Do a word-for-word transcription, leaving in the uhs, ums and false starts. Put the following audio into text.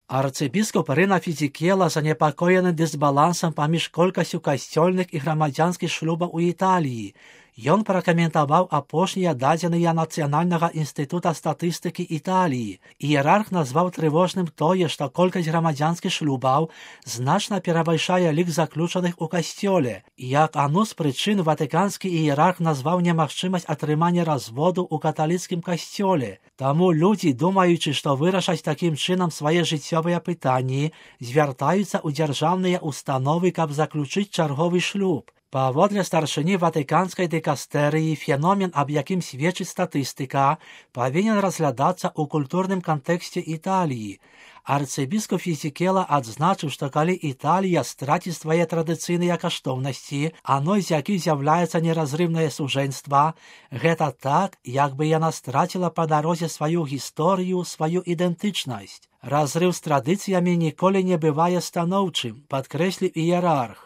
Арцыбіскуп Рына Фізікела занепакоены дысбалансам паміж колькасцю касцёльных і грамадзянскіх шлюбаў у Італіі. Ён пракаментаваў апошнія дадзеныя Нацыянальнага інстытута статыстыкі Італіі. Іерарх назваў трывожным тое, што колькасць грамадзянскіх шлюбаў значна перавышае лік заключаных у касцёле. Як адну з прычын ватыканскі іерарх назваў немагчымасць атрымання разводу ў каталіцкім касцёле. Таму людзі, думаючы, што вырашаць такім чынам свае жыццёвыя пытанні, звяртаюцца ў дзяржаўныя установы, каб заключыць чарговы шлюб. Паводле старшыні ватыканскай дыкастэрыі, феномен, аб якім сведчыць статыстыка, павінен разглядацца ў культурным кантэксце Італіі. Арцыбіскуп Фізікела адзначыў, што калі Італія страціць свае традыцыйныя каштоўнасці, адной з якіх з'яўляецца неразрыўнае сужэнства, гэта так, як бы яна страціла па дарозе сваю гісторыю, сваю ідэнтычнасць. Разрыў з традыцыямі ніколі не бывае станоўчым, падкрэсліў іерарх.